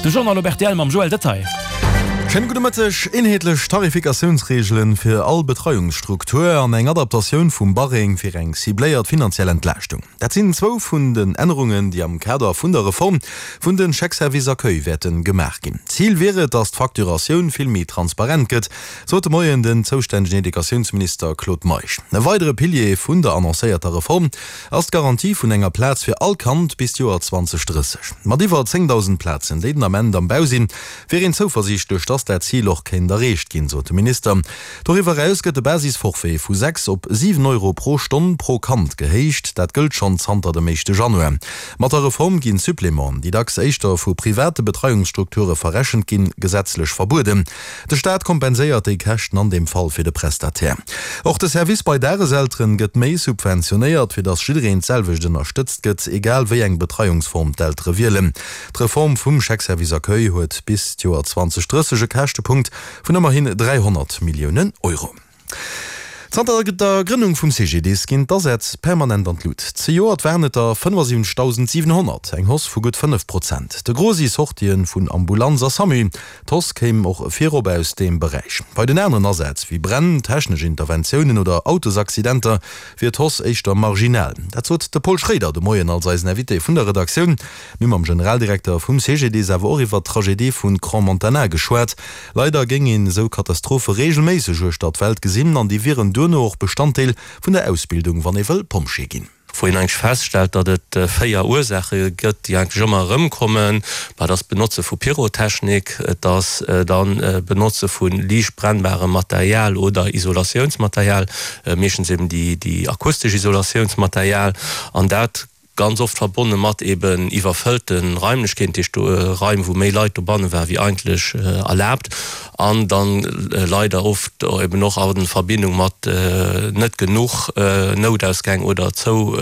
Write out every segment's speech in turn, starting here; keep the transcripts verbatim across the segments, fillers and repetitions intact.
De Journal op rtl mam Joël Detaille. Schéine gudde Mëtteg. Eenheetlech Tarifikatiounsreegelen fir all Betreiungsstruktur an eng Adaptatioun vum Barème fir eng cibléiert finanziell Entlaaschtung. Dat sinn zwou vun den Ännerungen, déi am Kader vun der Reform vun de Chèques-service accueil wäerte gemaach ginn. Zil wier et, datt d'Facturatioun vill méi transparent gëtt, sot de Moien den zoustännegen Educatiounsminister Claude Meisch. E weidere Pilier vun der annoncéierter Reform ass d'Garantie vun enger Plaz fir all Kand bis d'Joer zweitausendrësseg. Mat iwwer zéngdausend Plazen, déi den Ament am Bau sinn, wier een zouversiichtlech, dass dat Zil och kéint erreecht ginn, sot de Minister. Doriwwer eraus gëtt de Basisforfait vu sechs op siwen Euro pro Stonn pro Kand gehéicht. Dat gëllt schonn zanter dem éischte Januar. Mat der Reform ginn d'Supplémenten, déi dacks éischter vu private Betreiungsstrukture verrechent ginn, gesetzlech verbueden. De Staat kompenséiert déi Käschten an deem Fall fir de Prestataire. Och de Service bei Dageselteren gëtt méi subventionéiert, fir dass jiddereen d'selwecht ënnerstëtzt gëtt, egal wéi eng Betreiungsform d'Eltere wielen. D'Reform vum Chèque-service accueil huet bis d'Joer zweitausenddrësseg e Käschtepunkt vun ëmmerhin dräihonnert Milliounen Euro. Zanter der Grënnung vum C G D I S ginn d'Asätz permanent an d'Lut. Zejoert waren et der fënnefasiwwenzegdausendsiwenhonnert, eng Hausse vu gutt fënnef Prozent. De Gros si Sortië vun Ambulanz a SAMU. D'Hausse kéim och virop aus deem Beräich. Bei den aneren Asätz, wéi Bränn, technesch Interventiounen oder Autosaccidenter, wier d'Hausse éischter marginal. Dat sot de Paul Schroeder de Moien als eisen Invité vun der Redaktioun. Mir hu mam Generaldirekter vum C G D I S awer och iwwer d'Tragedie vu Crans-Montana geschwat. Leider géing een esou Katastrophe reegelméisseg uechter d'Welt gesinn an déi wieren duerno och Bestanddeel vun der Ausbildung, wann ee wëll Pompjee ginn. Wou een eigentlech feststellt, datt et véier Ursaache gëtt, déi eigentlech ëmmer erëmkommen, dat ass d'Benotze vu Pyrotechnik, et ass dann d'Benotze vu liicht brennbarem Material oder Isolatiounsmaterial, meeschtens eben déi déi akustesch Isolatiounsmaterial, an dat ganz oft verbonne mat eben iwwerfëllte Raimlechkeeten, dat heescht Raim, wou méi Leit dobanne waren, wéi eigentlech erlaabt, an dann leider oft eben och a Verbindung mat net genuch Noutausgäng oder zou,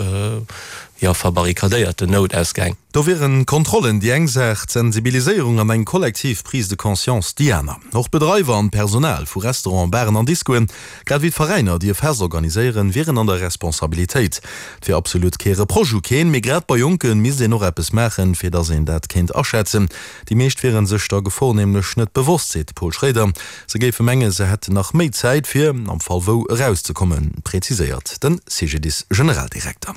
jo, verbarrikadéierten Noutausgäng. Do wieren Kontrollen déi eng Saach, d'Sensibiliséierung an eng kollektiv Prise de conscience déi aner. Och d'Bedreiwer an d'Personal vu Restauranten, Baren an Discoen, grad ewéi d'Veräiner, déi e Fest organiséieren, wieren an der Responsabilitéit. Et wier absolut kee Reproche u keen, mee grad bei Jonke misst een och eppes maachen, fir datt een dat kéint aschätzen. Déi meescht wiere sech der Gefor nämlech net bewosst, seet de Paul Schroeder. Se géife mengen, se hätten nach méi Zäit, fir am Fall wou erauszekommen, präziséiert de C G D I S-Generaldirekter.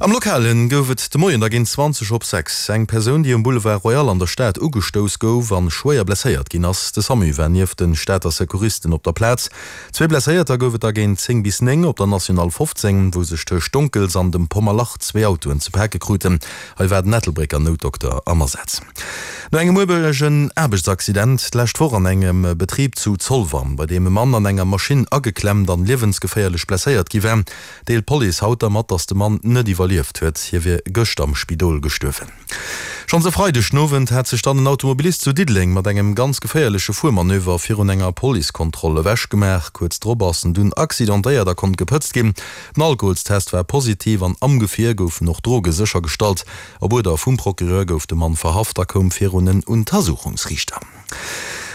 Am Lokalen gouf et de Moien da géint zwanzeg op sechs eng Persoun, déi um Boulevard Royal an der Stad ugestouss gouf an schwéier blesséiert ginn ass. De SAMU war nieft de Stater Secouristen op der Plaz. Zwee Blesséierter gouf et da géint zéng bis néng op der National fofzéng, wou sech tëscht Donkels an dem Pommerlach zwee Autoen ze pake kruten. Hei war den Ettelbrécker Noutdokter am Asaz. No engem ueregen Aarbechtsaccident d'lescht Woch an engem Betrib zu Zolwer, bei deem e Mann an enger Maschinn ageklemmt an liewensgeféierlech blesséiert gi war, deelt d'Police haut da mat, datt de Mann net iwwerlieft huet. Hie wier gëscht am Spidol gestuerwen. Schonns e Freideg den Owend hat sech dann en Automobilist zu Diddeleng mat engem ganz geféierleche Fuermanöver virun enger Policekontroll ewechgemaach. Kuerz drop ass en dunn accidentéiert a konnt gepëtzt ginn. Den Alkoholstest war positiv an am Gefier goufen och Droge séchergestallt. Op Uerder vum Procureur gouf de Mann verhaft a koum virun en Untersuchungsriichter.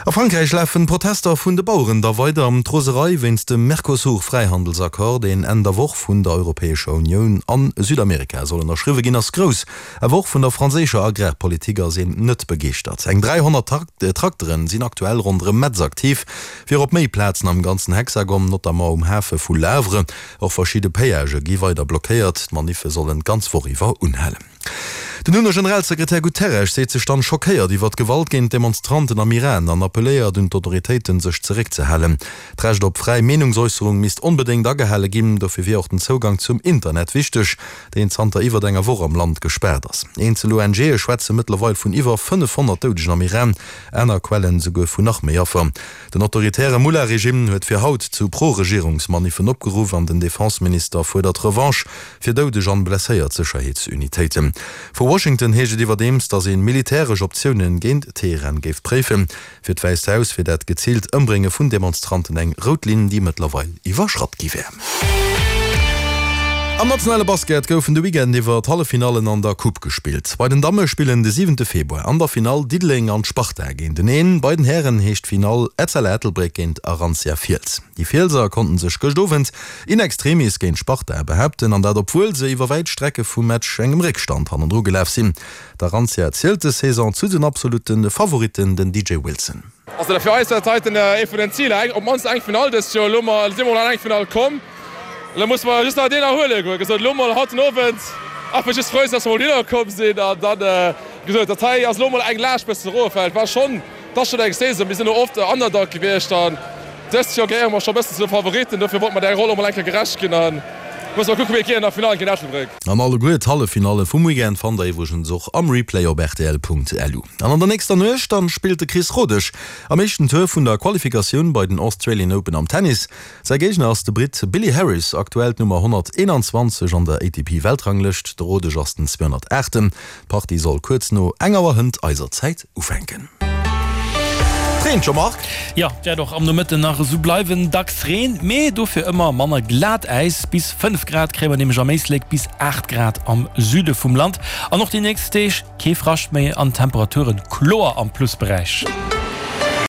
A Frankräich lafen d'Protester vun de Baueren da weider. D'Roserei wéinst dem Mercosur-Fräihandelsaccord, deen Enn der Woch vun der Europäescher Unioun an Südamerika soll ënnerschriwwe ginn, ass grouss. Awer och vun der franséischer Agrarpolitik ass een net begeeschtert. Eng dräihonnert Trakteren sinn aktuell ronderëm Metz aktiv, fir op méi Plazen am ganzen Hexagon, notamment um Hafe vu Le Havre. Och verschidde Péagë gi weider blockéiert. D'Maniffe sollen d'ganz Woch iwwer unhalen. Den UNO-Generalsekretär Guterres seet sech dann schockéiert iwwer d'Gewalt géint d'Demonstranten am Iran an appelléiert un d'Autoritéiten, sech zeréckzehalen. D'Recht op fräi Meenungsäusserung misst onbedéngt agehale ginn, dofir wier och den Zougang zum Internet wichteg, deen zanter iwwer enger Woch am Land gespaart ass. Eenzel O N G'e schwätze mëttlerweil vun iwwer fënnefhonnert Doudegen am Iran, aner Quellen souguer vun nach méi Affer. Den autoritäre Mullah-Regime huet fir haut zu Pro-Regierungsmaniffen opgeruff an den Defenseminister fuerdert Revanche fir doudeg an blesséiert Sécherheetsunitéiten. Vu Washington heescht et iwwerdeems, datt ee militäresch Optiounen géint Teheran géif préifen. Fir d'Wäisst Haus wier dat geziilt Ëmbrénge vun Demonstranten eng rout Linn, déi mëttlerweil iwwerschratt gi wär. Am nationale Basket goufen de Weekend iwwer d'Halleffinallen an der Coupe gespillt. Bei den Damme spillen de siwente Februar an der Finall Diddeleng an d'Sparta géinteneen. Bei den Hären heescht d'Finall Etzella Ettelbréck géint Arantia Fiels. Déi Fielser konnten sech gëscht Owend in extremis géint d'Sparta behaapten, an dat obwuel se iwwer wäit Strecke vum Match engem Réckstand hannendru gelaf sinn. D'Arantia zielt des Saison zu den absolutte Favoritten, den DJ Wilson. Also fir eis war dat heiten ee vun den Ziler, op d'mannst eng Finall dëst Joer. Elo si mer an eng Finall komm. Elo musse mer just nach deen erhuelen goen. Gesot, elo mol haut den Owend einfach just frou sinn, dass mer mol dohinner komm sinn. An dann, wéi gesot, dat hei ass elo mol eng Laascht bëssen eroffält. War schonn, et ass schonn eng Saison, mir sinn elo oft Underdog gewiescht an dëst Joer gehéiere mer scho bëssen zu de Favoritten. Dofir wollte mer där Roll och mol eng Kéier gerecht ginn a musse mol kucken, wéi et geet an der Finall géint Ettelbréck. An alleguer d'Halleffinalle vum Weekend fannt der iwwregens och am Replay op rtl.lu. An an der nächster Nuecht dann spillt de Chris Rodesch am éischten Tour vun der Qualifikatioun bei den Australian Open am Tennis. Säi Géigner ass de Britt Billy Harris, aktuell d'Nummer honnerteenanzwanzeg an der A T P-Weltranglëscht. De Rodesch ass den zweehonnertaachten. D'Partie soll kuerz no eng Auer hënt eiser Zäit ufänken. D'Reen, Jean-Marc? Jo, wäert och am Nomëtten nach esou bleiwen, dacks Reen, mee dofir ëmmer manner Glatäis. Bis fënnef Grad kréie mer nämlech am Éislek, bis aacht Grad am Süde vum Land. An och déi nächst Deeg kee Frascht méi an Temperaturen kloer am Plusberäich.